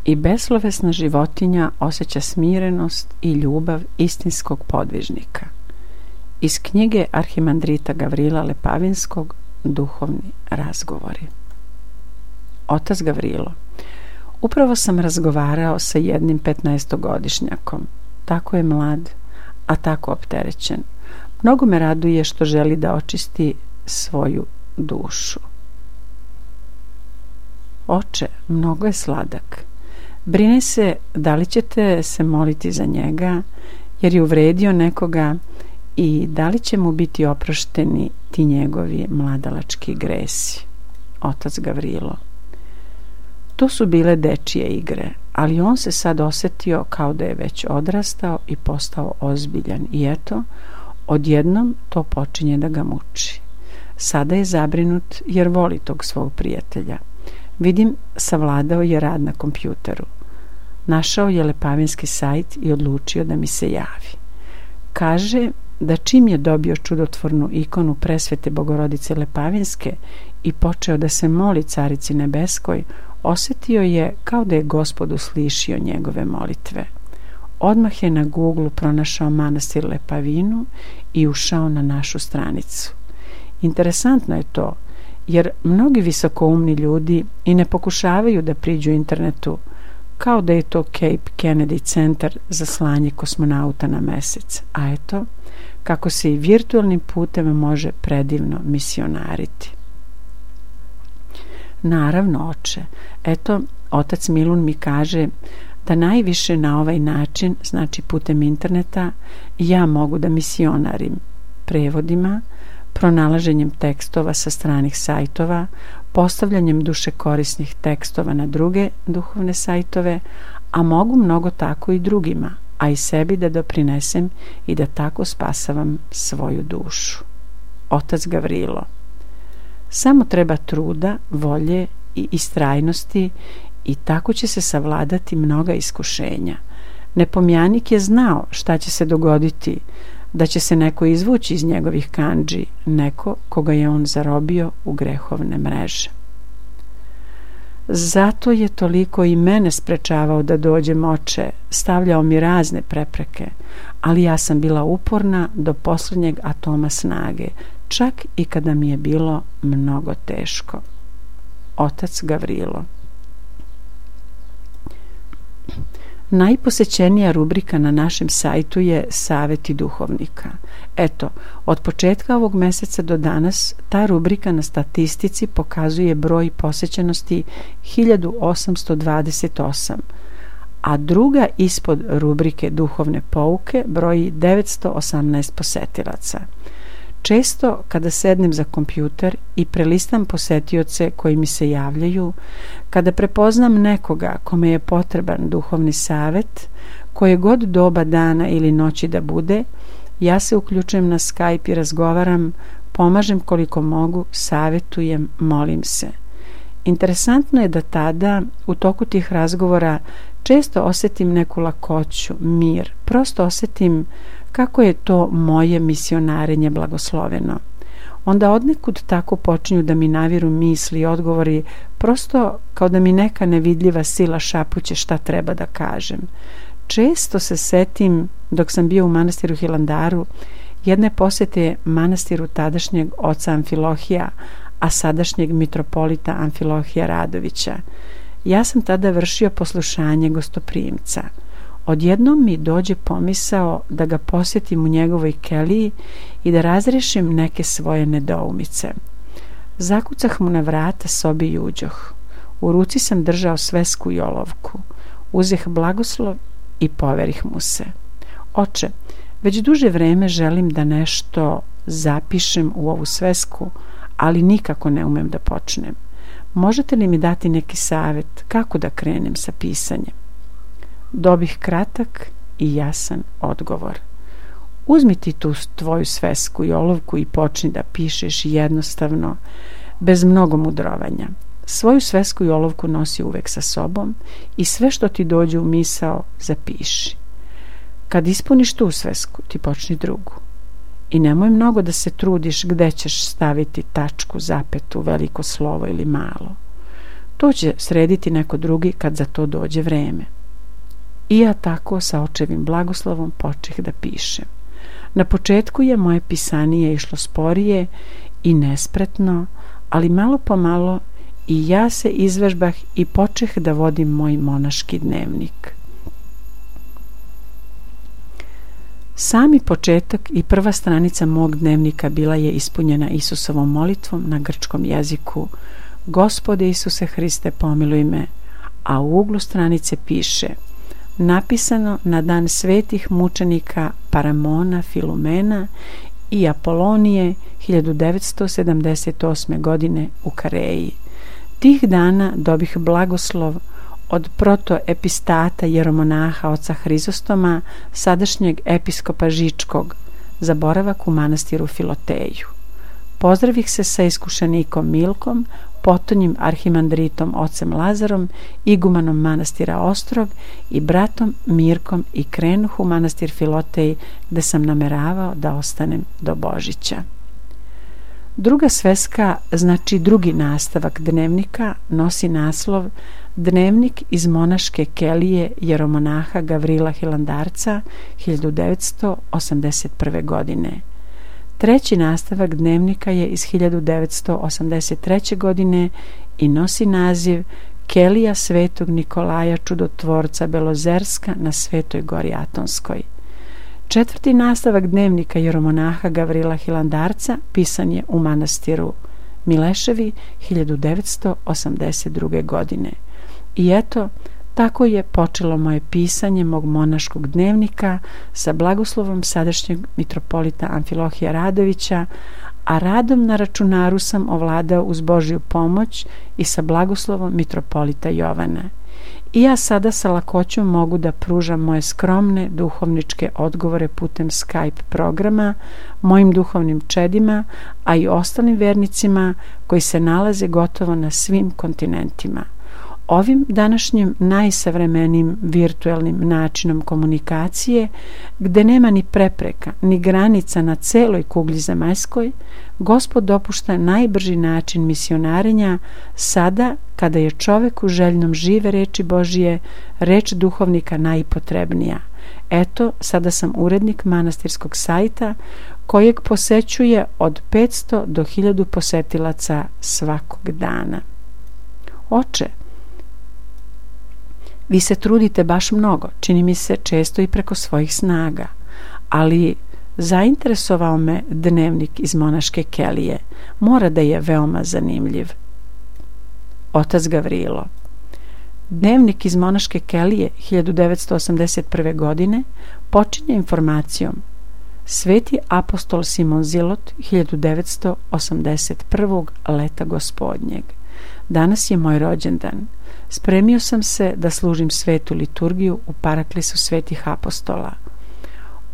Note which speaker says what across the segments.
Speaker 1: I beslovesna životinja osjeća smirenost i ljubav istinskog podvižnika. Iz knjige arhimandrita Gavrila Lepavinskog Duhovni razgovori. Otac Gavrilo: upravo sam razgovarao sa jednim 15-godišnjakom. Tako je mlad, a tako opterećen. Mnogo me raduje što želi da očisti svoju dušu. Oče, mnogo je sladak. Brine se da li ćete se moliti za njega, jer je uvredio nekoga, i da li će mu biti oprošteni ti njegovi mladalački gresi. Otac Gavrilo: to su bile dečije igre, ali on se sad osjetio kao da je već odrastao i postao ozbiljan, i eto, odjednom to počinje da ga muči. Sada je zabrinut jer voli tog svog prijatelja. Vidim, savladao je rad na kompjuteru. Našao je Lepavinski sajt i odlučio da mi se javi. Kaže da čim je dobio čudotvornu ikonu presvete Bogorodice Lepavinske i počeo da se moli Carici Nebeskoj, osjetio je kao da je Gospod uslišio njegove molitve. Odmah je na Google pronašao manastir Lepavinu i ušao na našu stranicu. Interesantno je to, jer mnogi visokoumni ljudi i ne pokušavaju da priđu internetu, kao da je to Cape Kennedy centar za slanje kosmonauta na mesec. A eto, kako se i virtualnim putem može predivno misionariti. Naravno, oče. Eto, otac Milun mi kaže da najviše na ovaj način, znači putem interneta, ja mogu da misionarim prevodima, pronalaženjem tekstova sa stranih sajtova, postavljanjem dušekorisnih tekstova na druge duhovne sajtove, a mogu mnogo tako i drugima, a i sebi da doprinesem i da tako spasavam svoju dušu. Otac Gavrilo: samo treba truda, volje i istrajnosti i tako će se savladati mnoga iskušenja. Nepomjanik je znao šta će se dogoditi, da će se neko izvući iz njegovih kandži, neko koga je on zarobio u grehovne mreže. Zato je toliko i mene sprečavao da dođem, oče, stavljao mi razne prepreke, ali ja sam bila uporna do posljednjeg atoma snage, čak i kada mi je bilo mnogo teško. Otac Gavrilo: Najposećenija rubrika na našem sajtu je Saveti duhovnika. Eto, od početka ovog meseca do danas ta rubrika na statistici pokazuje broj posećenosti 1828, a druga ispod rubrike Duhovne pouke broji 918 posetilaca. Često kada sednem za kompjuter i prelistam posetioce koji mi se javljaju, kada prepoznam nekoga kome je potreban duhovni savet, koje god doba dana ili noći da bude, ja se uključujem na Skype i razgovaram, pomažem koliko mogu, savetujem, molim se. Interesantno je da tada, u toku tih razgovora, često osjetim neku lakoću, mir, prosto osjetim kako je to moje misionarenje blagosloveno. Onda odnekud tako počinju da mi naviru misli i odgovori, prosto kao da mi neka nevidljiva sila šapuće šta treba da kažem. Često se setim, dok sam bio u manastiru Hilandaru, jedne posete manastiru tadašnjeg oca Amfilohija, a sadašnjeg mitropolita Amfilohija Radovića. Ja sam tada vršio poslušanje gostoprimca. Odjednom mi dođe pomisao da ga posjetim u njegovoj keliji i da razrešim neke svoje nedoumice. Zakucah mu na vrata sobi i uđoh. U ruci sam držao svesku i olovku. Uzeh blagoslov i poverih mu se. Oče, već duže vreme želim da nešto zapišem u ovu svesku, ali nikako ne umem da počnem. Možete li mi dati neki savjet kako da krenem sa pisanjem? Dobih kratak i jasan odgovor. Uzmi ti tu tvoju svesku i olovku i počni da pišeš jednostavno, bez mnogo mudrovanja. Svoju svesku i olovku nosi uvek sa sobom i sve što ti dođe u misao zapiši. Kad ispuniš tu svesku, ti počni drugu. I nemoj mnogo da se trudiš gde ćeš staviti tačku, zapetu, veliko slovo ili malo. To će srediti neko drugi kad za to dođe vreme. I ja tako sa očevim blagoslovom počeh da pišem. Na početku je moje pisanije išlo sporije i nespretno, ali malo po malo i ja se izvežbah i počeh da vodim moj monaški dnevnik. Sami početak i prva stranica mog dnevnika bila je ispunjena Isusovom molitvom na grčkom jeziku: Gospode Isuse Hriste, pomiluj me, a u uglu stranice piše: napisano na dan svetih mučenika Paramona, Filumena i Apolonije 1978. godine u Kareji. Tih dana dobih blagoslov od protoepistata jeromonaha oca Hrizostoma, sadašnjeg episkopa Žičkog, za boravak u manastiru Filoteju. Pozdravih se sa iskušenikom Milkom, potonjim arhimandritom ocem Lazarom, igumanom manastira Ostrog i bratom Mirkom i krenuh u manastir Filotej, gde sam nameravao da ostanem do Božića. Druga sveska, znači drugi nastavak dnevnika, nosi naslov Dnevnik iz monaške kelije jeromonaha Gavrila Hilandarca 1981. godine. Treći nastavak dnevnika je iz 1983. godine i nosi naziv Kelija svetog Nikolaja Čudotvorca Belozerska na Svetoj gori Atonskoj. Četvrti nastavak dnevnika jeromonaha Gavrila Hilandarca pisan je u manastiru Mileševi 1982. godine. I eto, tako je počelo moje pisanje mog monaškog dnevnika sa blagoslovom sadašnjeg mitropolita Amfilohija Radovića, a radom na računaru sam ovladao uz Božju pomoć i sa blagoslovom mitropolita Jovana. I ja sada sa lakoćom mogu da pružam moje skromne duhovničke odgovore putem Skype programa mojim duhovnim čedima, a i ostalim vernicima koji se nalaze gotovo na svim kontinentima. Ovim današnjim najsavremenijim virtuelnim načinom komunikacije, gde nema ni prepreka, ni granica na celoj kugli zemaljskoj, Gospod dopušta najbrži način misionarenja sada kada je čoveku željnom žive reči Božije, reč duhovnika najpotrebnija. Eto, sada sam urednik manastirskog sajta kojeg posećuje od 500 do 1000 posetilaca svakog dana. Oče, Vi se trudite baš mnogo, čini mi se često i preko svojih snaga, ali zainteresovao me dnevnik iz monaške kelije. Mora da je veoma zanimljiv. Otac Gavrilo. Dnevnik iz monaške kelije 1981. godine počinje informacijom: Sveti apostol Simon Zilot 1981. leta gospodnjeg. Danas je moj rođendan. Spremio sam se da služim svetu liturgiju u paraklisu svetih apostola.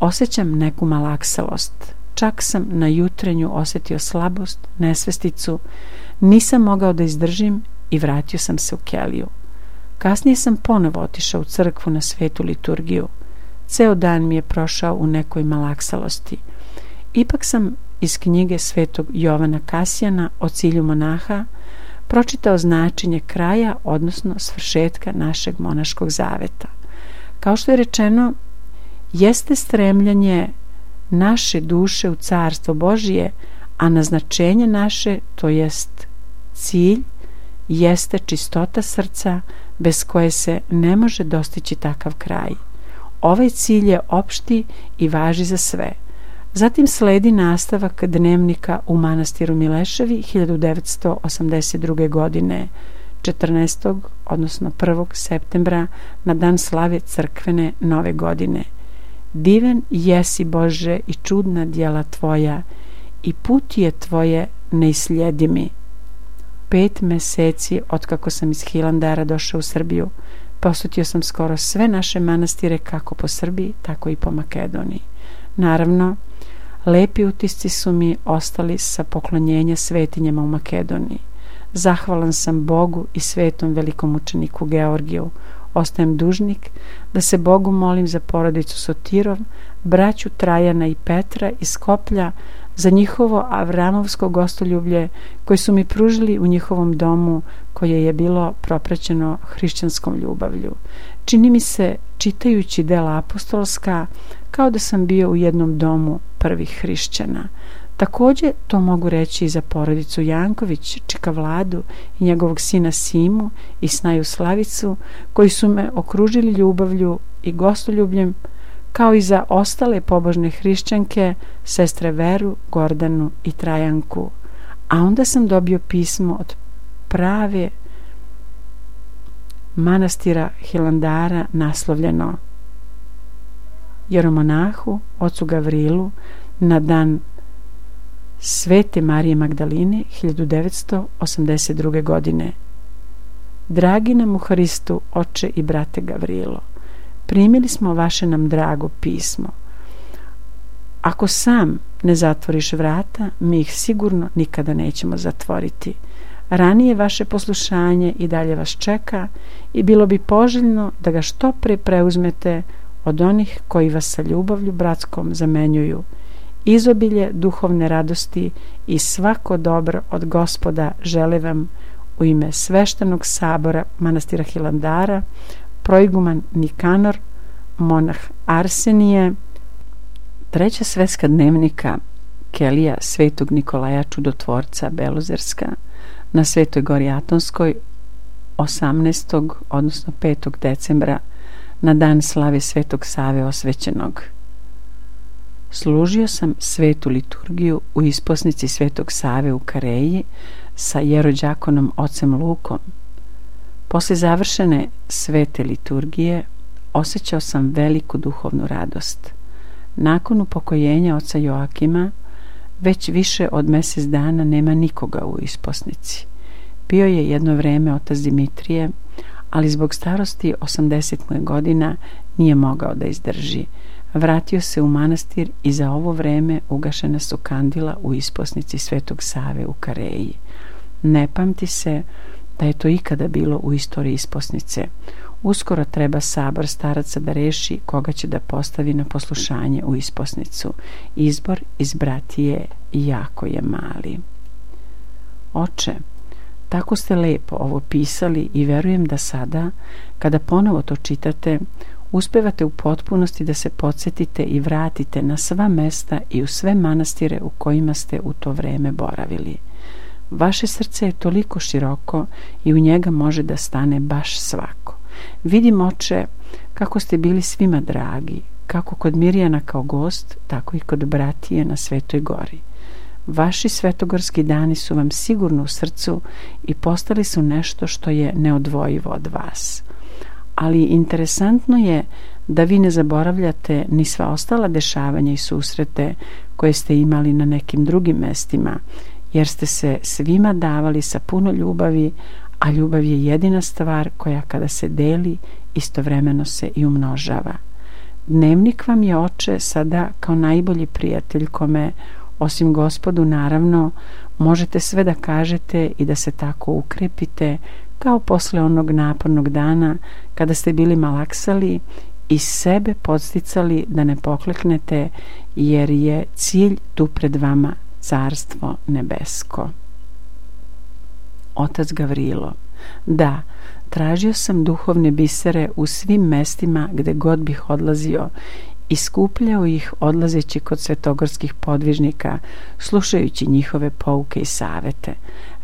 Speaker 1: Osjećam neku malakselost. Čak sam na jutrenju osjetio slabost, nesvesticu. Nisam mogao da izdržim i vratio sam se u keliju. Kasnije sam ponovo otišao u crkvu na svetu liturgiju. Ceo dan mi je prošao u nekoj malakselosti. Ipak sam iz knjige svetog Jovana Kasijana o cilju monaha pročitao značenje kraja, odnosno svršetka našeg monaškog zaveta. Kao što je rečeno, jeste stremljanje naše duše u carstvo Božije, a naznačenje naše, to jest cilj, jeste čistota srca bez koje se ne može dostići takav kraj. Ovaj cilj je opšti i važi za sve. Zatim sledi nastavak dnevnika u manastiru Mileševi 1982. godine 14. odnosno 1. septembra na dan slave crkvene nove godine. Divan jesi Bože i čudna djela tvoja i put je tvoje neisljedivi. 5 meseci otkako sam iz Hilandara došao u Srbiju, posjetio sam skoro sve naše manastire kako po Srbiji, tako i po Makedoniji. Naravno, lepi utisci su mi ostali sa poklonjenja svetinjama u Makedoniji. Zahvalan sam Bogu i svetom velikomučeniku Georgiju. Ostajem dužnik da se Bogu molim za porodicu Sotirov, braću Trajana i Petra iz Skoplja, za njihovo avramovsko gostoljublje koje su mi pružili u njihovom domu, koje je bilo propraćeno hrišćanskom ljubavlju. Čini mi se, čitajući dela apostolska, kao da sam bio u jednom domu prvih hrišćana. Također to mogu reći i za porodicu Janković, čika Vladu i njegovog sina Simu i snaju Slavicu, koji su me okružili ljubavlju i gostoljubljem, kao i za ostale pobožne hrišćanke, sestre Veru, Gordanu i Trajanku. A onda sam dobio pismo od prave manastira Hilandara naslovljeno: Jeromonahu, ocu Gavrilu, na dan Svete Marije Magdaline 1982. godine. Dragi nam u Hristu, oče i brate Gavrilo, primili smo vaše nam drago pismo. Ako sam ne zatvoriš vrata, mi ih sigurno nikada nećemo zatvoriti. Ranije vaše poslušanje i dalje vas čeka i bilo bi poželjno da ga što pre preuzmete od onih koji vas sa ljubavlju bratskom zamenjuju. Izobilje duhovne radosti i svako dobro od Gospoda žele vam u ime sveštenog sabora manastira Hilandara, proiguman Nikanor, monah Arsenije. 3. svetska dnevnika kelija svetog Nikolaja Čudotvorca Belozerska na Svetoj gori Atonskoj 18. odnosno 5. decembra na dan slave Svetog Save osvećenog. Služio sam svetu liturgiju u isposnici Svetog Save u Kareji sa jerođakonom ocem Lukom. Posle završene svete liturgije osjećao sam veliku duhovnu radost. Nakon upokojenja oca Joakima već više od mjesec dana nema nikoga u isposnici. Bio je jedno vreme otac Dimitrije, ali zbog starosti 80 mu je godina nije mogao da izdrži. Vratio se u manastir i za ovo vreme ugašena su kandila u isposnici Svetog Save u Kareji. Ne pamti se da je to ikada bilo u istoriji isposnice. Uskoro treba sabor staraca da reši koga će da postavi na poslušanje u isposnicu. Izbor iz bratije jako je mali. Oče, tako ste lepo ovo pisali i verujem da sada, kada ponovo to čitate, uspevate u potpunosti da se podsjetite i vratite na sva mesta i u sve manastire u kojima ste u to vreme boravili. Vaše srce je toliko široko i u njega može da stane baš svako. Vidim, oče, kako ste bili svima dragi, kako kod Mirjana kao gost, tako i kod bratije na Svetoj gori. Vaši svetogorski dani su vam sigurno u srcu i postali su nešto što je neodvojivo od vas. Ali interesantno je da vi ne zaboravljate ni sva ostala dešavanja i susrete koje ste imali na nekim drugim mestima, jer ste se svima davali sa puno ljubavi, a ljubav je jedina stvar koja kada se deli, istovremeno se i umnožava. Dnevnik vam je, oče, sada kao najbolji prijatelj kome, osim Gospodu naravno, možete sve da kažete i da se tako ukrepite, kao posle onog napornog dana kada ste bili malaksali i sebe podsticali da ne pokleknete, jer je cilj tu pred vama Carstvo nebesko. Otac Gavrilo: da, tražio sam duhovne bisere u svim mestima gde god bih odlazio i skupljao ih odlazeći kod svetogorskih podvižnika, slušajući njihove pouke i savete.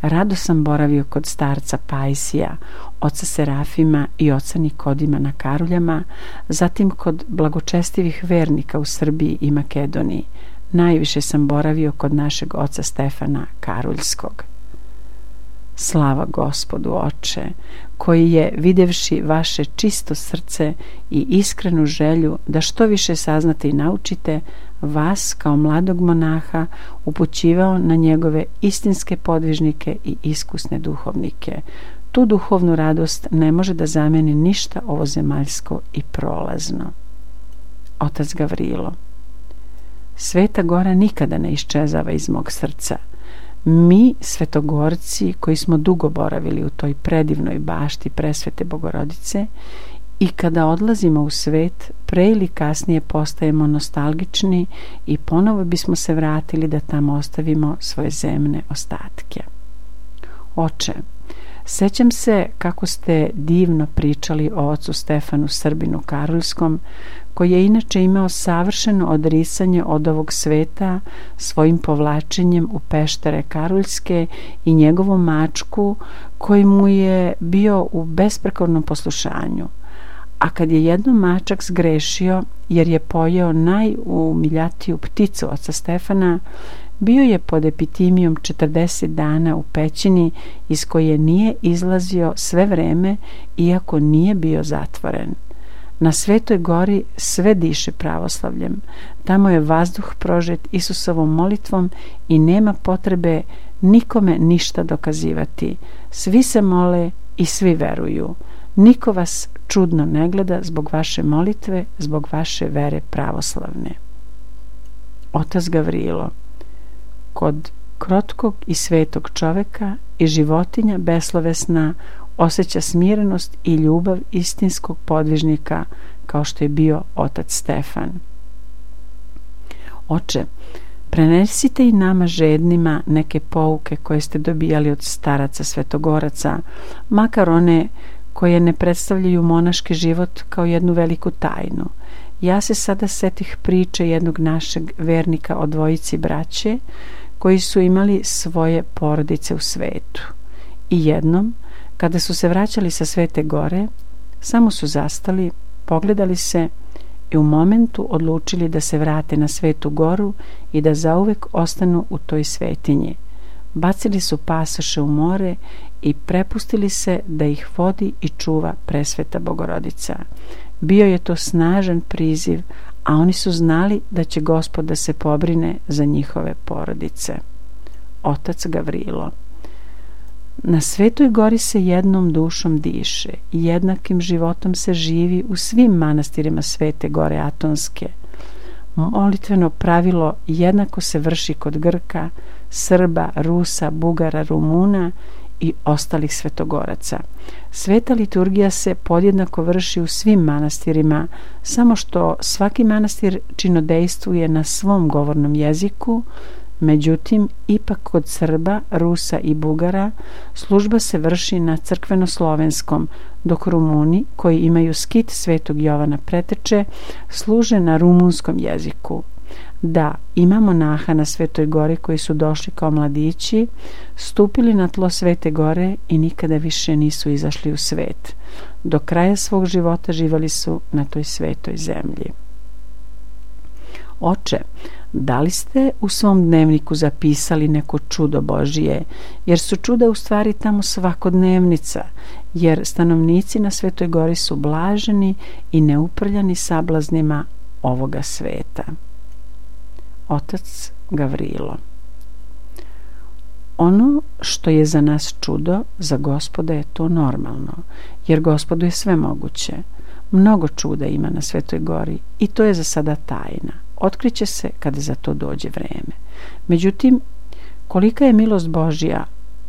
Speaker 1: Rado sam boravio kod starca Pajsija, oca Serafima i oca Nikodima na Karuljama, zatim kod blagočestivih vernika u Srbiji i Makedoniji. Najviše sam boravio kod našeg oca Stefana Karuljskog. Slava Gospodu, oče, koji je, videvši vaše čisto srce i iskrenu želju da što više saznate i naučite, vas kao mladog monaha upućivao na njegove istinske podvižnike i iskusne duhovnike. Tu duhovnu radost ne može da zameni ništa ovozemaljsko i prolazno. Otac Gavrilo: Sveta Gora nikada ne iščezava iz mog srca. Mi, svetogorci, koji smo dugo boravili u toj predivnoj bašti Presvete Bogorodice, i kada odlazimo u svet, pre ili kasnije postajemo nostalgični i ponovo bismo se vratili da tamo ostavimo svoje zemne ostatke. Oče, sećam se kako ste divno pričali o ocu Stefanu Srbinu Karuljskom, koji je inače imao savršeno odrisanje od ovog sveta svojim povlačenjem u peštere Karuljske i njegovom mačku koji mu je bio u besprekornom poslušanju. A kad je jednom mačak zgrešio jer je pojeo najumiljatiju pticu oca Stefana, bio je pod epitimijom 40 dana u pećini iz koje nije izlazio sve vreme, iako nije bio zatvoren. Na Svetoj gori sve diše pravoslavljem. Tamo je vazduh prožet Isusovom molitvom i nema potrebe nikome ništa dokazivati. Svi se mole i svi veruju. Niko vas čudno ne gleda zbog vaše molitve, zbog vaše vere pravoslavne. Otac Gavrilo: kod krotkog i svetog čoveka i životinja beslovesna osjeća smirenost i ljubav istinskog podvižnika kao što je bio otac Stefan. Oče, prenesite i nama žednima neke pouke koje ste dobijali od staraca svetogoraca, makar one koje ne predstavljaju monaški život kao jednu veliku tajnu. Ja se sada setih priče jednog našeg vernika o dvojici braće koji su imali svoje porodice u svetu. I jednom, kada su se vraćali sa Svete gore, samo su zastali, pogledali se i u momentu odlučili da se vrate na Svetu goru i da zauvek ostanu u toj svetinji. Bacili su pasoše u more i prepustili se da ih vodi i čuva Presveta Bogorodica. Bio je to snažan priziv, a oni su znali da će Gospod da se pobrine za njihove porodice. Otac Gavrilo: na Svetoj gori se jednom dušom diše i jednakim životom se živi u svim manastirima Svete gore Atonske. Molitveno pravilo jednako se vrši kod Grka, Srba, Rusa, Bugara, Rumuna i ostalih svetogoraca. Sveta liturgija se podjednako vrši u svim manastirima, samo što svaki manastir činodejstvuje na svom govornom jeziku. Međutim, ipak kod Srba, Rusa i Bugara služba se vrši na crkveno-slovenskom, dok Rumuni, koji imaju skit Svetog Jovana Preteče, služe na rumunskom jeziku. Da, ima monaha na Svetoj gori koji su došli kao mladići, stupili na tlo Svete gore i nikada više nisu izašli u svet. Do kraja svog života živjeli su na toj svetoj zemlji. Oče, da li ste u svom dnevniku zapisali neko čudo Božije, jer su čuda u stvari tamo svakodnevnica, jer stanovnici na Svetoj gori su blaženi i neuprljani sablaznima ovoga sveta. Otac Gavrilo. Ono što je za nas čudo, za Gospoda je to normalno, jer Gospodu je sve moguće. Mnogo čuda ima na Svetoj gori i to je za sada tajna. Otkriće se kada za to dođe vreme. Međutim, kolika je milost Božja,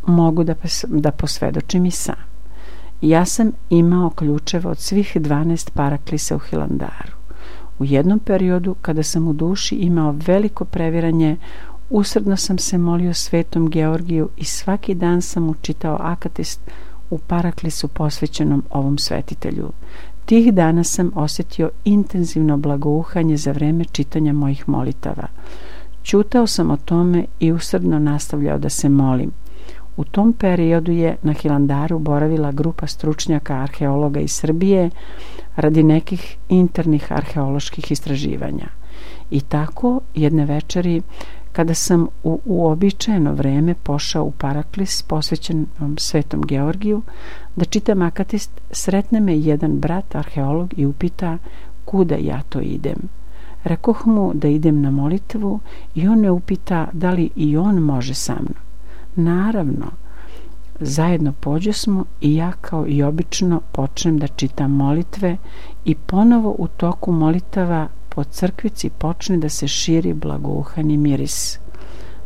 Speaker 1: mogu da posvedočim i sam. Ja sam imao ključeve od svih 12 paraklisa u Hilandaru. U jednom periodu, kada sam u duši imao veliko previranje, usrdno sam se molio Svetom Georgiju i svaki dan sam učitao akatist u paraklisu posvećenom ovom svetitelju. Tih dana sam osjetio intenzivno blagouhanje za vreme čitanja mojih molitava. Ćutao sam o tome i usrdno nastavljao da se molim. U tom periodu je na Hilandaru boravila grupa stručnjaka arheologa iz Srbije radi nekih internih arheoloških istraživanja. I tako jedne večeri, kada sam u uobičajeno vreme pošao u paraklis posvećenom Svetom Georgiju da čitam akatist, sretne me jedan brat arheolog i upita kuda ja to idem. Rekoh mu da idem na molitvu i on me upita da li i on može sa mnom. Naravno, zajedno pođosmo i ja kao i obično počnem da čitam molitve i ponovo u toku molitava po crkvici počne da se širi blagouhani miris.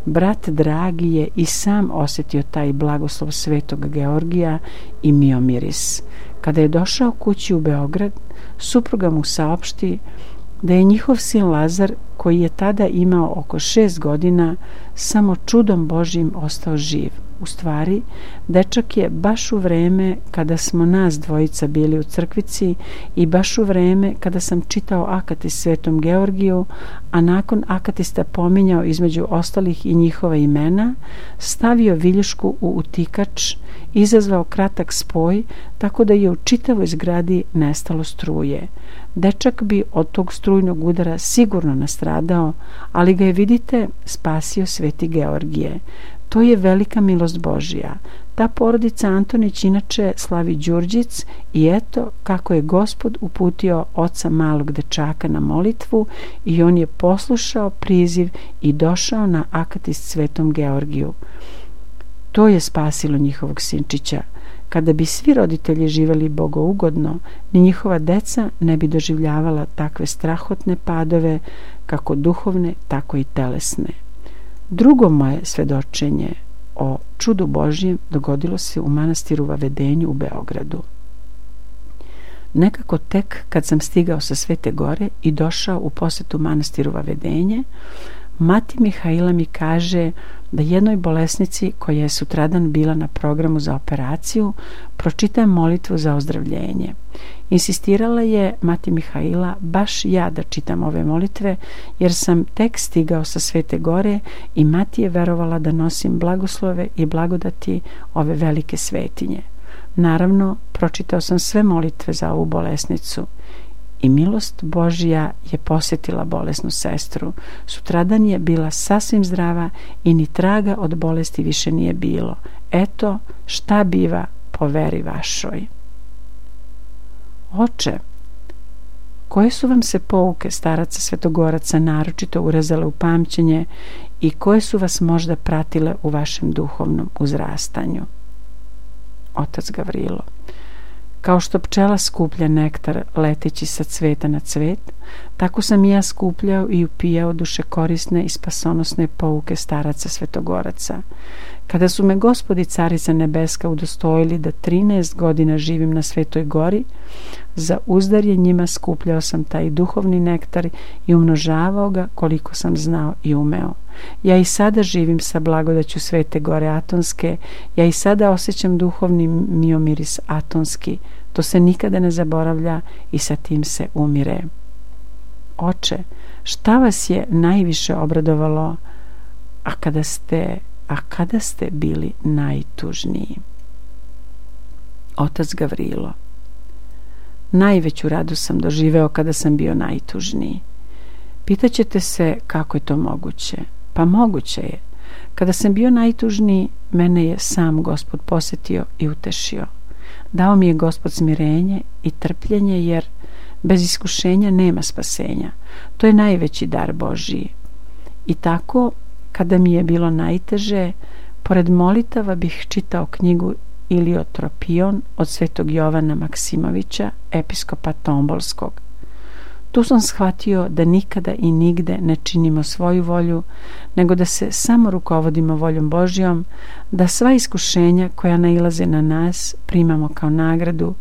Speaker 1: Brat dragi je i sam osjetio taj blagoslov Svetog Georgija i mio miris. Kada je došao kući u Beograd, supruga mu saopšti da je njihov sin Lazar, koji je tada imao oko 6 godina, samo čudom Božjim ostao živ. U stvari, dečak je baš u vreme kada smo nas dvojica bili u crkvici i baš u vreme kada sam čitao akatist Svetom Georgiju, a nakon akatista pominjao između ostalih i njihova imena, stavio viljušku u utikač, izazvao kratak spoj, tako da je u čitavoj zgradi nestalo struje. Dečak bi od tog strujnog udara sigurno nastradao, ali ga je, vidite, spasio Sveti Georgije. To je velika milost Božja. Ta porodica Antonić inače slavi Đurđic i eto kako je Gospod uputio oca malog dečaka na molitvu i on je poslušao priziv i došao na akatist Svetom Georgiju. To je spasilo njihovog sinčića. Kada bi svi roditelji živjeli bogougodno, ni njihova deca ne bi doživljavala takve strahotne padove, kako duhovne, tako i telesne. Drugo moje svedočenje o čudu Božjem dogodilo se u manastiru Vavedenju u Beogradu. Nekako tek kad sam stigao sa Svete gore i došao u posetu manastiru Vavedenje, mati Mihaila mi kaže da jednoj bolesnici koja je sutradan bila na programu za operaciju pročitam molitvu za ozdravljenje. Insistirala je mati Mihaila baš ja da čitam ove molitve, jer sam tek stigao sa Svete gore i mati je verovala da nosim blagoslove i blagodati ove velike svetinje. Naravno, pročitao sam sve molitve za ovu bolesnicu i milost Božja je posjetila bolesnu sestru. Sutradan je bila sasvim zdrava i ni traga od bolesti više nije bilo. Eto šta biva po veri vašoj. Oče, koje su vam se pouke staraca svetogoraca naročito urezale u pamćenje i koje su vas možda pratile u vašem duhovnom uzrastanju? Otac Gavrilo. Kao što pčela skuplja nektar leteći sa cveta na cvet, tako sam i ja skupljao i upijao dušekorisne i spasonosne pouke staraca svetogoraca. Kada su me Gospod i Carica Nebeska udostojili da 13 godina živim na Svetoj gori, za uzdar je njima skupljao sam taj duhovni nektar i umnožavao ga koliko sam znao i umeo. Ja i sada živim sa blagodaću Svete gore Atonske, ja i sada osjećam duhovni miomiris atonski, to se nikada ne zaboravlja i sa tim se umire. Oče, Šta vas je najviše obradovalo, a kada ste bili najtužniji? Otac Gavrilo: najveću radost sam doživeo kada sam bio najtužniji. Pitaćete se kako je to moguće? Pa moguće je. Kada sam bio najtužniji, mene je sam Gospod posjetio i utešio. Dao mi je Gospod smirenje i trpljenje, jer bez iskušenja nema spasenja. To je najveći dar Božiji. I tako, kada mi je bilo najteže, pored molitava bih čitao knjigu Iliotropion od svetog Jovana Maksimovića, episkopa Tombolskog. Tu sam shvatio da nikada i nigde ne činimo svoju volju, nego da se samo rukovodimo voljom Božjom, da sva iskušenja koja nailaze na nas primamo kao nagradu,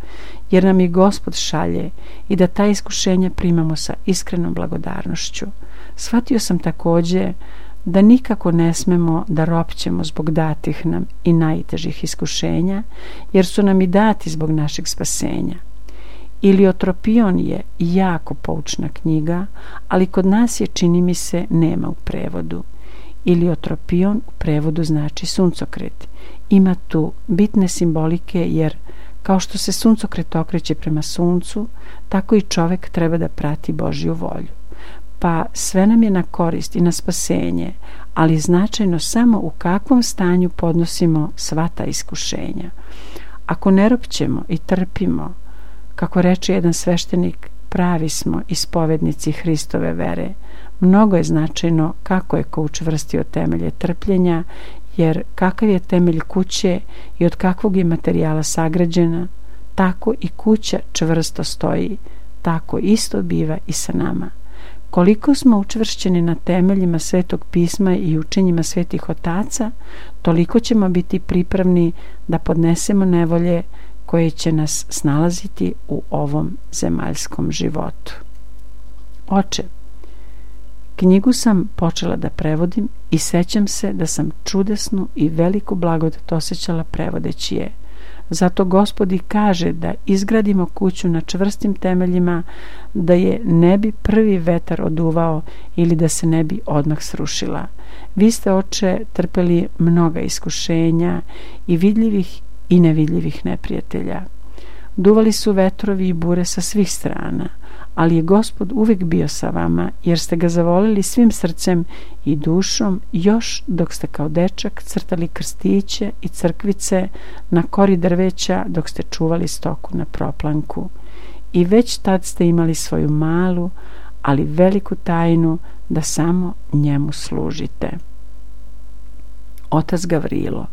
Speaker 1: jer nam ih Gospod šalje, i da ta iskušenja primamo sa iskrenom blagodarnošću. Shvatio sam također da nikako ne smemo da ropćemo zbog datih nam i najtežih iskušenja, jer su nam i dati zbog našeg spasenja. Iliotropion je jako poučna knjiga, ali kod nas je, čini mi se, nema u prevodu. Iliotropion u prevodu znači suncokret. Ima tu bitne simbolike, jer kao što se suncokret okreće prema suncu, tako i čovjek treba da prati Božju volju. Pa sve nam je na korist i na spasenje, ali značajno samo u kakvom stanju podnosimo sva ta iskušenja. Ako ne ropćemo i trpimo, kako reče jedan sveštenik, pravi smo ispovednici Hristove vere. Mnogo je značajno kako je ko učvrstio temelje trpljenja, jer kakav je temelj kuće i od kakvog je materijala sagrađena, tako i kuća čvrsto stoji, tako isto biva i sa nama. Koliko smo učvršćeni na temeljima Svetog pisma i učenjima svetih otaca, toliko ćemo biti pripravni da podnesemo nevolje koje će nas snalaziti u ovom zemaljskom životu. Oče, knjigu sam počela da prevodim i sećam se da sam čudesnu i veliku blagodat osjećala prevodeći je. Zato Gospod i kaže da izgradimo kuću na čvrstim temeljima, da je ne bi prvi vetar oduvao ili da se ne bi odmah srušila. Vi ste, Oče, trpeli mnoga iskušenja i vidljivih i nevidljivih neprijatelja. Duvali su vetrovi i bure sa svih strana, ali je Gospod uvijek bio sa vama, jer ste ga zavolili svim srcem i dušom, još dok ste kao dečak crtali krstiće i crkvice na kori drveća, dok ste čuvali stoku na proplanku. I već tad ste imali svoju malu, ali veliku tajnu da samo njemu služite. Otac Gavrilo: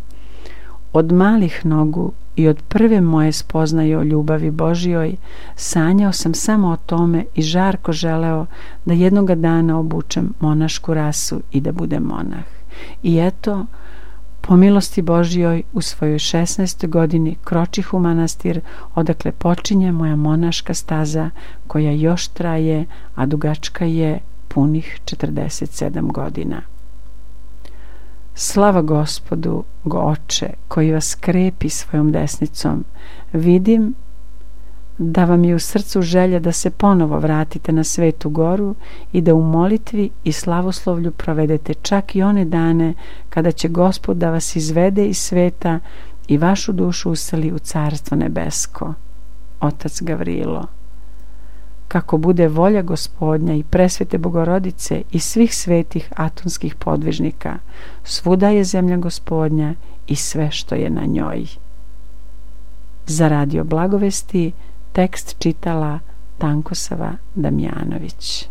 Speaker 1: od malih nogu i od prve moje spoznaje o ljubavi Božjoj sanjao sam samo o tome i žarko želeo da jednoga dana obučem monašku rasu i da budem monah. I eto, po milosti Božjoj, u svojoj 16. godini kročih u manastir, odakle počinje moja monaška staza, koja još traje, a dugačka je punih 47 godina. Slava Gospodu, Oče, koji vas krepi svojom desnicom. Vidim da vam je u srcu želja da se ponovo vratite na Svetu Goru i da u molitvi i slavoslovlju provedete čak i one dane kada će Gospod da vas izvede iz sveta i vašu dušu useli u Carstvo nebesko. Otac Gavrilo: kako bude volja Gospodnja i presvete Bogorodice i svih svetih atonskih podvižnika, svuda je zemlja Gospodnja i sve što je na njoj. Za Radio Blagovesti tekst čitala Tankosava Damjanović.